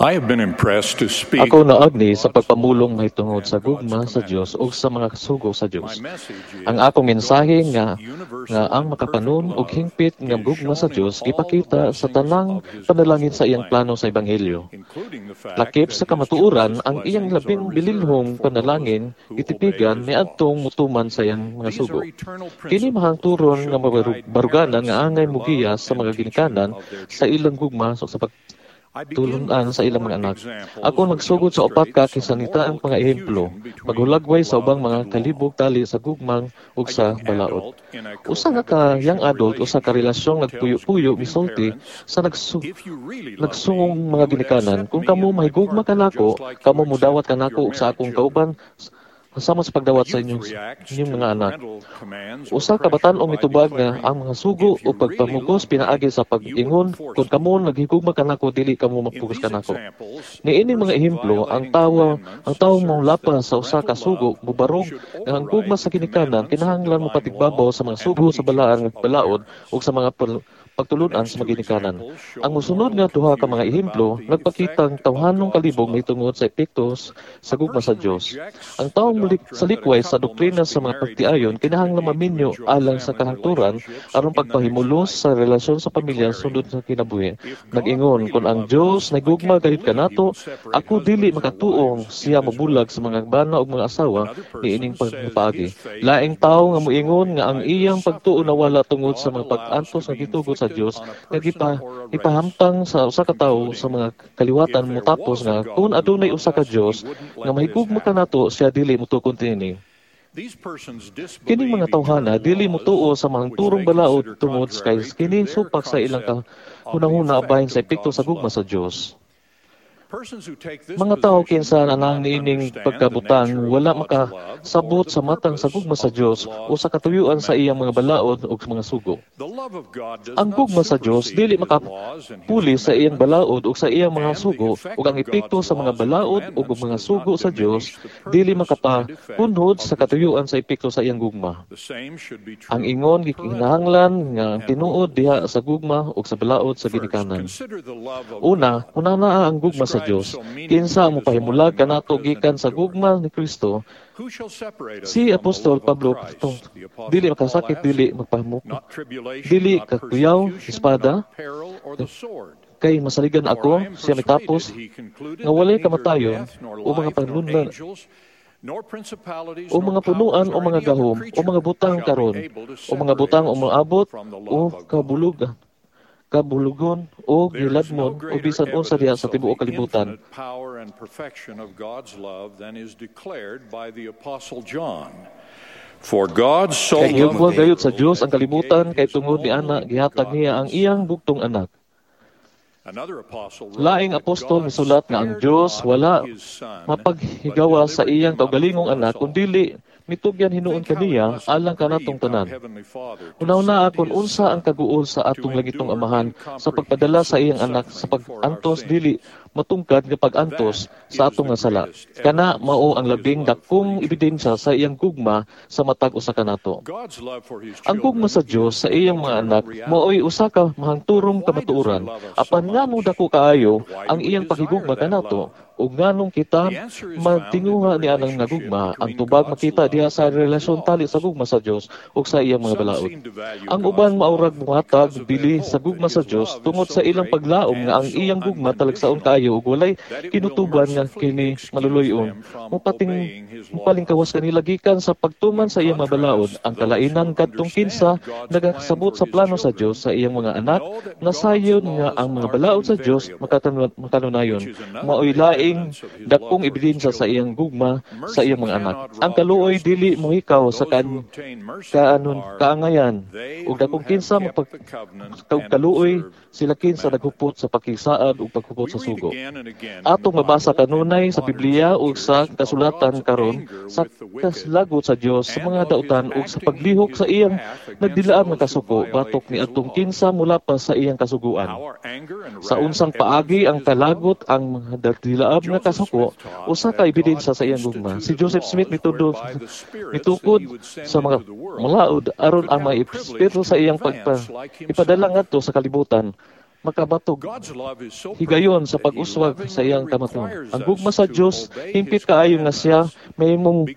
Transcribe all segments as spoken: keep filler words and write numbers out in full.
I have been impressed to speak Ako naagni sa pagpamulong mahitungod sa gugma sa Dios ug sa mga sugo sa Dios. Ang akong mensahe nga nga ang makapanon ug hingpit nga gugma sa Dios gipakita sa tanang panalangin sa iyang plano sa ebanghelyo. Lakip sa kamatuoran, ang iyang labing bililhong panalangin gitipigan niadtong mutuman sa iyang mga sugo. Kini mahangturon nga mabaruganan nga angay mugiya sa mga ginikanan sa ilang gugma sa pag tulunan sa ilang mga anak. Ako magsugod sa upat ka kasanitaang mga ehemplo, maghulagway sa ubang mga kalibog tali sa gugmang ug sa balaod. Usa nga ka young adult usa ka relasyong nagpuyo-puyo misulti sa nagsu nagsungong mga ginikanan, kung kamo mahigugma kanako, kamo mudawat kanako ug sa akong kauban sama sa pagdawat sa inyong inyong mga anak. Usa ka batan-ong mitubag nga ang mga sugo o pagpamugos pinaagi sa pag-ingon kung kamo naghigugma kanako dili kamo mapugos kanako. Niini mga ehemplo ang tawo ang tawo molapas sa usa ka sugo mubarog nga ang gugma sa ginikanan kinahanglan mopatigbabaw sa mga sugo sa balaan nga balaod ug sa mga pagtulunan sa mga ginikanan. Ang musunod nga duha ka mga ehemplo nagpakitang tawhanong kalibog mahitungod sa epekto sa gugma sa Dios. Ang taong sa likway sa doktrina sa mga pagtiayon kinahanglan maminyo alang sa kahangturan aron pagpahimulos sa relasyon sa pamilya sulod sa kinabuhi. Nag-ingon kung ang Dios nagugma gayud kanato, ako dili makatuong siya mobulag sa mga bana ug mga asawa niining pagpaagi. Laing tawo nga moingon nga ang iyang pagtuo nawala tungod sa mga pag-antos nga gitugot sa Dios nga gipa ipahamtang sa usa ka tawo sa mga kaliwatan motapos nga kung adunay usa ka Dios nga mahigugma kanato siya dili motukon niini. Kining mga tawhana dili motuo sa mga turong balaod tungod kay kini supak sa ilang kahunahuna bahin sa epekto sa gugma sa Dios. Mga tao kinsa anang niining pagkabutang wala makasabot sa matang sa gugma sa Dios o sa katuyuan sa iyang mga balaod o mga sugo. Ang gugma sa Dios dili makapuli sa iyang balaod o sa iyang mga sugo ug ang epekto sa mga balaod ug mga sugo sa Dios dili makapakunhod sa katuyuan sa epekto sa iyang gugma. Ang ingon gikinahanglan nga ang tinuod diha sa gugma ug sa balaod sa ginikanan. Una, hunana ang gugma sa Dios. Kinsa ang mopahimulag kanato gikan sa gugma ni Kristo? Si Apostol Pablo tong, dili makasakit, dili magpahimok, dili kakuyaw, espada, kay masaligan ako, siya mitapos, nga walay kamatayon o mga panunlan o mga punuan o mga gahom o mga butang karon o mga butang o moabot o kabulugan kabulugon o giladmon o bisan unsa diha sa tibuok kalibutan. For God so Kay gihugma gayud sa Dios ang kalibutan kay tungod ni ana gihatag niya ang iyang bugtong anak. Laing apostol misulat nga ang Dios wala mapaghigawa sa iyang kaugalingong anak kundili mitugyan hinuon kaniya alang kanatong tanan. Una-una akon unsa ang kaguol sa atong langitong amahan sa pagpadala sa iyang anak sa pag-antos dili matungkad nga pag-antos sa atong nga sala. Kana mao ang labing dakong ebidensya sa iyang gugma sa matag usa kanato. Ang gugma sa Dios sa iyang mga anak maoy usa ka mahangturong kamatuoran apan nganong dako kaayo ang iyang paghigugma kanato ug nganong kita magtinguha ni anang nga gugma. Ang tubag makita diha sa relasyon tali sa gugma sa Dios ug sa iyang mga balaod. Ang uban maurag mohatag bili sa gugma sa Dios tungod sa ilang paglaom nga ang iyang gugma talagsaon kaayo ug walay kinutuban nga kini maluluy-on. Mupating mupalingkawas kanila gikan sa pagtuman sa iyang mga balaod. Ang kalainan kadtong kinsa nagasabot sa plano sa Dios sa iyang mga anak nasayon nga ang mga balaod sa Dios makanunayon. Maoy laing dakong ebidensya sa iyang gugma sa iyang mga anak. Ang kaluoy dili mohikaw sa kan kaanon kaangayan ug dakong kinsa mapag kaluoy sila kinsa naghupot sa pakisaad ug paghupot sa sugo. Atong mabasa kanunay sa Biblia ug sa kasulatan karon sa kaslagot sa Dios sa mga dautan ug sa paglihok sa iyang nagdilaab nga kasuko batok ni atong kinsa mulapas sa iyang kasuguan. Sa unsang paagi ang kalagot ang mga dilaab nga kasuko usa ka ebidensya sa iyang gugma. Si Joseph Smith mitudo mitukod sa mga malaod aron ang mga espiritu sa iyang pagpa ipadala ngadto sa kalibutan. makabatog higayon sa pag-uswag sa iyang kamatuoran. Ang gugma sa Dios hingpit kaayo nga siya mahimong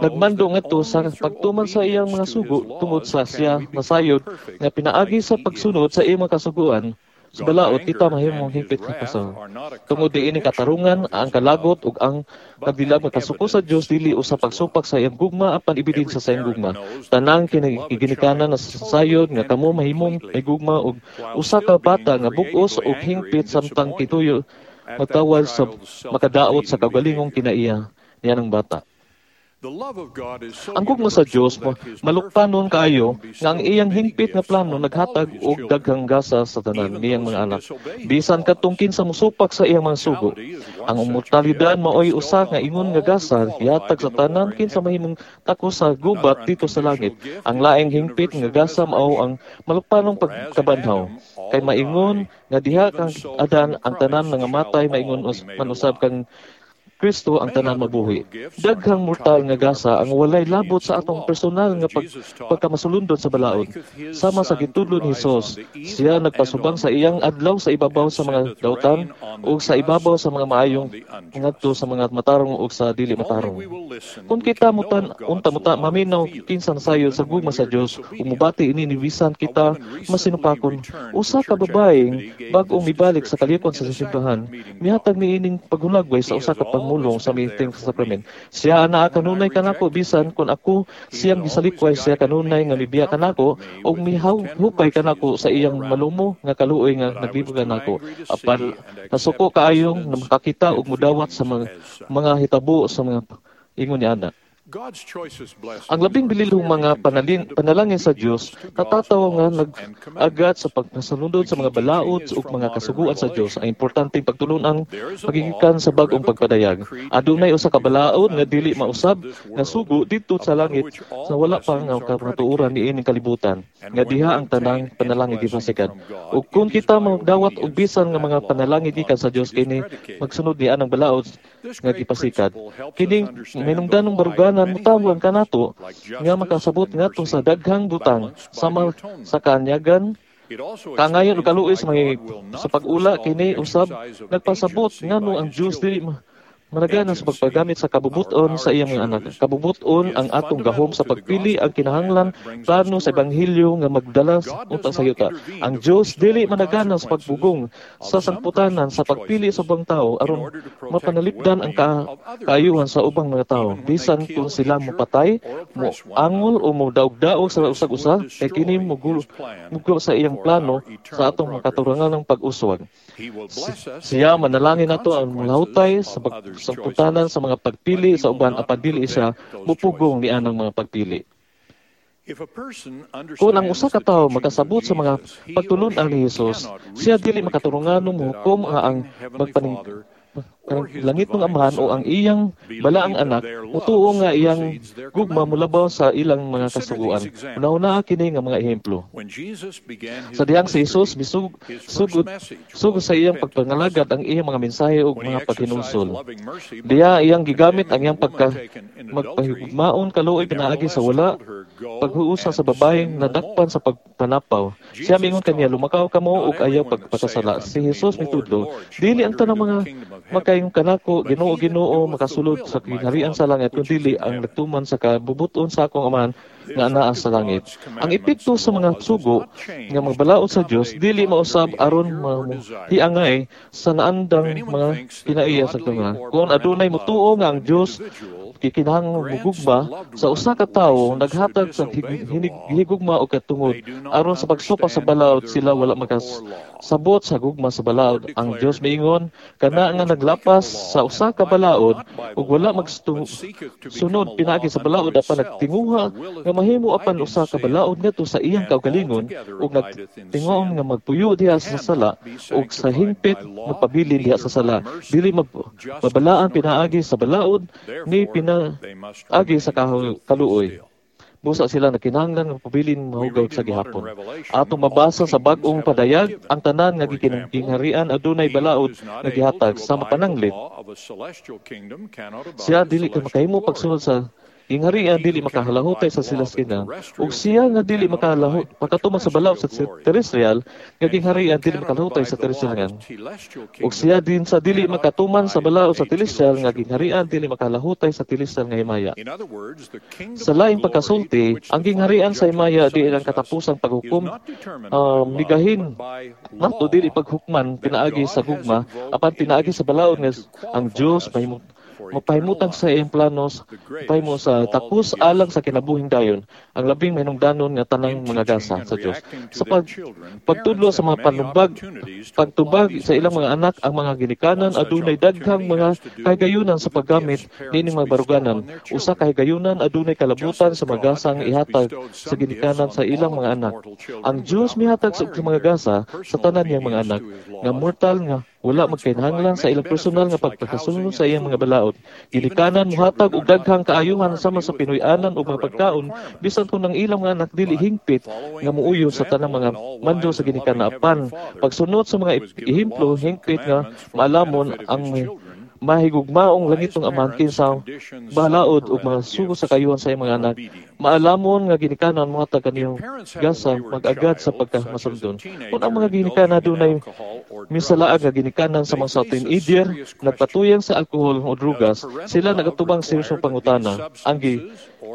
nagmando ngadto sa pagtuman sa iyang mga sugo tungod sa siya nasayod nga pinaagi sa pagsunod sa iyang mga kasuguan sa balaod kita mahimong hingpit nga pasaway. Tungod niini katarungan ang kalagot ug ang nagdilag makasuko sa Dios dili usa pagsupak sa iyang gugma apan ebidensya sa iyang gugma. Tanang ginikanan na sayod nga kamo mahimong may gugma og usa ka bata nga bug-os ug hingpit samtang kituyo magtawad sa makadaot sa kaugalingong kinaiya niya ng bata. Ang gugma sa Dios malukpanon kaayo nga ang iyang hingpit nga plano naghatag og daghang gasa sa tanan niyang mga anak. Bisan kadtong kinsa mosupak sa iyang mga sugo. Ang immortalidad maoy usa nga ingon nga gasa gihatag sa tanan kinsa mahimong takos sa gubat dito sa langit. Ang laing hingpit nga gasa mao ang malukpanong pagkabanhaw. Kay maingon nga diha kang Adan ang tanan nga matay maingon man usab kang Kristo ang tanan mabuhi. Daghang mortal nga gasa ang walay labot sa atong personal nga pag, pagkamasulundon sa balaod. Sama sa gitudlo ni Hesus, siya nagpasubang sa iyang adlaw sa ibabaw sa mga dautan ug sa ibabaw sa mga maayong ngadto sa mga matarong ug sa dili matarong. Kung kita mutan unta muta maminaw kinsa nasayod sa gugma sa Dios, ug mobati ini ni bisan kita masinupakon. Usa ka babaeng bag-ong mibalik sa kalipon sa simbahan, mihatag niining paghulagway sa usa ka pangmulong sa meeting sa sakramen. Siya anaa kanunay kanako bisan kung ako siyang gisalikway, siya kanunay nga mibiya kanako ug mihupay kanako sa iyang malumo nga kaluoy nga naglibog kanako. Apan nasuko kaayong nga makakita ug mudawat sa mga, mga hitabo sa mga ingon ni ana. Ang labing bililhong mga panalin, panalangin sa Dios natatawo nga nag-agat sa pagkasunod sa mga balaod ug mga kasuguan sa Dios. Ang importanteng pagtulunan pagigikan sa bag-ong pagpadayag. Adunay usa ka balaod nga dili mausab nga sugo didto sa langit sa wala pa nga kamatuoran niining kalibutan nga diha ang tanang panalangin gipasikat. Ug kun kita magdawat og bisan nga mga panalangin gikan sa Dios kini magsunod ni anang balaod nga gipasikat. Kining hinungdanong baruganan mutawang kanato nga makasabot ngadto sa daghang butang sama sa kaanyagan, kangayon ug kaluoy sa mga sa pag-ula. Kini usab nagpasabot ngano ang Dios dili managana sa pagpagamit sa kabubuton sa iyang mga anak. Kabubuton ang atong gahom sa pagpili ang kinahanglan plano sa ebanghelyo nga magdala unta sa yuta. Ang Dios dili managana sa pagbugong sa sangputanan sa pagpili sa ubang tao aron mapanalipdan ang ka kaayuhan sa ubang mga tao bisan kung sila mopatay, mo angol o modaog-daog sa usag-usa, kay kini mugulo mugulo sa iyang plano sa atong makaturangan ng pag-uswag. Siya manalangin nato ang mulahutay sa pag sangputanan sa mga pagpili sa uban apan dili siya mupugong ni anang mga pagpili. Kung ang usa ka tawo makasabot sa mga pagtulun-an ni Hesus, siya dili makaturunganong mohukom nga ang magpaning langit ng Amahan o ang iyang balaang anak mutuo nga iyang gugma molabaw sa ilang mga kasuguan. Una-una kini nga mga ehemplo. Sa dihang si Jesus misug sugod sugod sa iyang pagpangalagad ang iyang mga mensahe ug mga paghinulsol. Diha iyang gigamit ang iyang pagka magpahigugmaon kaluoy pinaagi sa wala paghuusa sa babaeng nadakpan sa pagpanapaw. Siya mingon kaniya, lumakaw kamo ug ayaw pagpakasala. Si Jesus mitudlo, dili ang tanang mga makaingon kanako, Ginoo, Ginoo, makasulod sa gingharian sa langit, kundi ang nagtuman sa kabubuton sa akong Amahan nga anaa sa langit. Ang epekto sa mga sugo nga magbalaod sa Dios dili mausab aron hiangay sa naandang mga kinaiya sa tunga. Kung adunay motuo nga ang Dios gikinahanglan mugugma sa usa ka tawo naghatag sa higugma og katungod aron sa pagsupak sa balaod, sila wala makasabot sa gugma sa balaod. Ang Dios miingon kana nga naglapas sa usa ka balaod ug wala magsunod pinaagi sa balaod apan nagtinguha nga mahimo apan usa ka balaod ngadto sa iyang kaugalingon ug nagtinguon nga magpuyo diha sa sala ug sa hingpit magpabilin diha sa sala, dili mabalaan pinaagi sa balaod ni pinaagi sa kaluoy. Busa sila nakinahanglan nga pabilin mahugaw sa gihapon. Atong mabasa sa bag-ong padayag ang tanan nga gikinaharian adunay balaod nga gihatag sa mapananglit. Siya dili ka makahimo pagsunod sa gingharian dili makahalahutay sa silaskinang, ug siya nga dili makalahut makatuman sa balaod sa terrestrial nga gingharian dili makalahutay sa terrestrial. Ug siya din sa dili makatuman sa balaod sa telestial nga gingharian dili makalahutay sa telestial nga himaya. Sa laing pagkasulti, ang gingharian sa himaya di ang katapusang paghukom uh, migahin nato dili paghukman pinaagi sa gugma apan pinaagi sa balaod nga ang Dios mahimo mapahimutang sa iyang planos, pahimo sa takos alang sa kinabuhing dayon, ang labing mahinungdanon nga tanang mga gasa sa Dios. Sa pag, pagtudlo sa mga panumbag, pagtubag sa ilang mga anak, ang mga ginikanan adunay daghang mga kahigayunan sa paggamit niining mga baruganan. Usa ka higayunan adunay kalabutan sa mga gasang ihatag sa ginikanan sa ilang mga anak. Ang Dios mihatag sa mga gasa sa tanan niyang mga anak nga mortal nga wala magkinahanglan sa ilang personal nga pagpakasunod sa iyang mga balaod. Ginikanan mohatag og daghang kaayuhan sama sa Pinoy-anan ug mga pagkaon bisan kung ang ilang mga anak dili hingpit nga muuyon sa tanang mga mando sa ginikanan, apan pagsunod sa mga ehemplo hingpit nga maalamon ang mahigugmaong langitong amahan kinsa balaod ug mga sugo sa kaayuhan sa iyang mga anak. Maalamon nga ginikanan mohatag kaniyong gasa mag-agad sa pagkamasundon. Kung ang mga ginikanan dunay misalaag nga ginikanan sa mga sa teenager nagpatuyang sa alkohol o drugas, sila nagatubang seryosong pangutana. Ang gi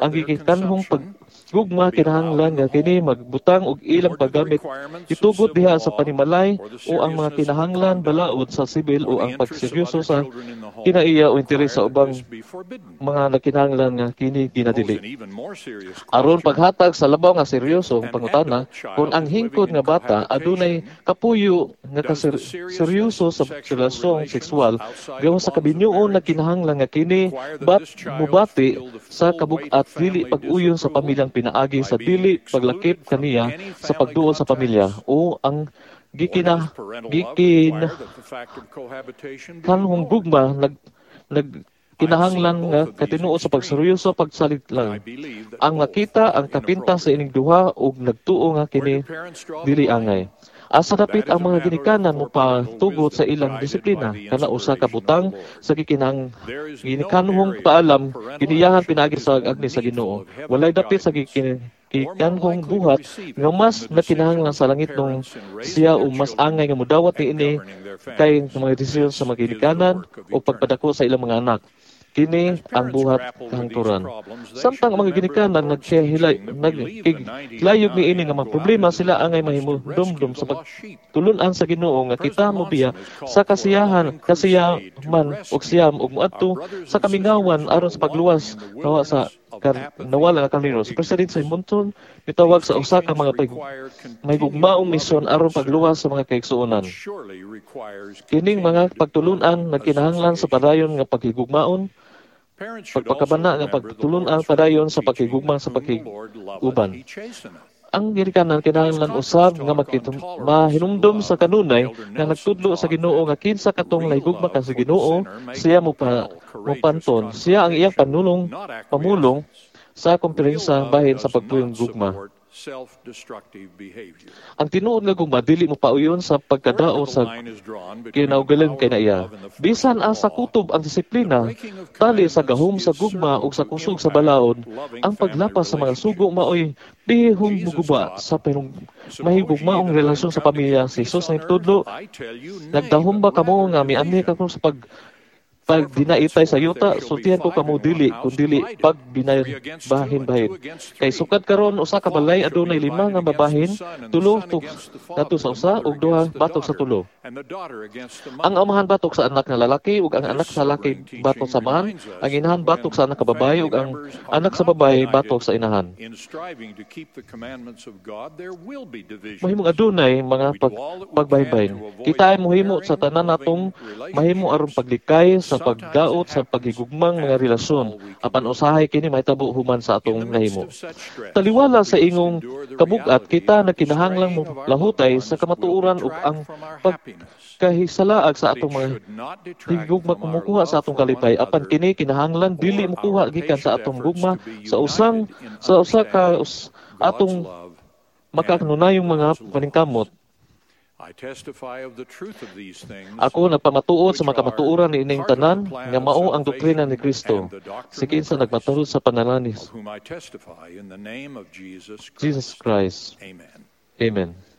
ang gikanhong paggugma kinahanglan nga kini magbutang og ilang paggamit itugot diha sa panimalay o ang mga kinahanglan balaod sa sibil o ang pagseryoso sa kinaiya o interes sa ubang mga nakinahanglan nga kini ginadili. Aron paghatag sa labaw nga seryosong pangutana, kung ang hingkod nga bata adunay kapuyo nga kaseryoso sa relasyong sexual gawas sa kabinuon nagkinahanglan nga kini bat mubati sa kabug-at dili pag-uyon sa pamilyang pinaagi sa dili paglakip kaniya sa pagduol sa pamilya o ang gikina gikin kanhong gugma nag nag kinahanglan nga katinuod sa pagseryoso pagsalig lang. Ang nakita ang kapinta sa ining duha ug nagtuo nga kini dili angay. Asa dapit ang mga ginikanan mo patugot sa ilang disiplina kana usa ka butang sa gikinang ginikanhong paalam giniyahan pinaagi sa agni sa Ginoo. Walay dapit sa gikinanhong buhat nga mas nakinahanglan sa langit nung siya o mas angay nga mudawat niini kay mga desisyon sa mga ginikanan o pagpadako sa ilang mga anak. Kini ang buhat kahangturan. Samtang ang mga ginikanan nagkahilay nagkilayog niini nga mga problema, sila angay mahimudumdum sa pagtulun-an sa Ginoo nga kita mobiya sa kasiyahan kasiyaman og siyam ug moadto sa kamingawan aron sa pagluwas nawa sa kar, nawala nga karnero. Si President Simonton mitawag sa usa ka mga pag, may gugmaong misyon aron pagluwas sa mga kaigsuonan. Kining mga pagtulun-an nagkinahanglan sa padayon nga paghigugmaon, pagpakabana nga pagtulun-an padayon sa paghigugma sa pakiguban. Ang ginikanan kinahanglan usab nga makitum, mahinumdom sa kanunay nga nagtudlo sa Ginoo nga kinsa katong nahigugma ka sa Ginoo, siya mo pa mopanton, siya ang iyang panulong pamulong sa kumpiyansa bahin sa pagpuyong gugma. Ang tinuod nga gugma dili mo pauyon sa pagkadao sa kinaugalan kay naiya. Bisan asa kutob ang disiplina, tali sa gahom sa gugma ug sa kusog sa balaod, ang paglapas sa mga sugo maoy pihong muguba sa pinong mahigugmaong relasyon sa pamilya. Si Jesus nagtudlo, nagdahom ba kamo nga mianhi kako sa pag pag dinaitay sa yuta, sultihan ko kamo dili, kundili pag binabahin-bahin. Kay sukad karon usa ka balay adunay lima nga babahin, tulo kadto sa usa ug duha batok sa tulo. Ang amahan batok sa anak nga lalaki ug ang anak sa lalaki batok sa amahan, ang inahan batok sa anak ka babaye ug ang anak sa babaye batok sa inahan. Mahimong adunay mga pag, pagbahin-bahin. Kita ay mohimo sa tanan natong mahimo aron paglikay sa pagdaot sa paghigugmang mga relasyon apan usahay kini mahitabo human sa atong nahimo. Taliwala sa ingong kabugat, kita nagkinahanglang mo lahutay sa kamatuoran ug ang pagkahisalaag sa atong mga higugma kumukuha sa atong kalipay, apan kini kinahanglan dili mokuha gikan sa atong gugma sa usang sa usa ka us, atong makakanunayong mga paningkamot. I testify of the truth of these things, Ako nagpamatuod sa which mga are kamatuoran niining part of the tanan plan nga of mao ang doktrina ni salvation Kristo and the doctrine si of kinsa Christ, nagmatahod sa pangalan ni of whom I testify in the name of Jesus Jesus Christ. Christ. Amen. Amen.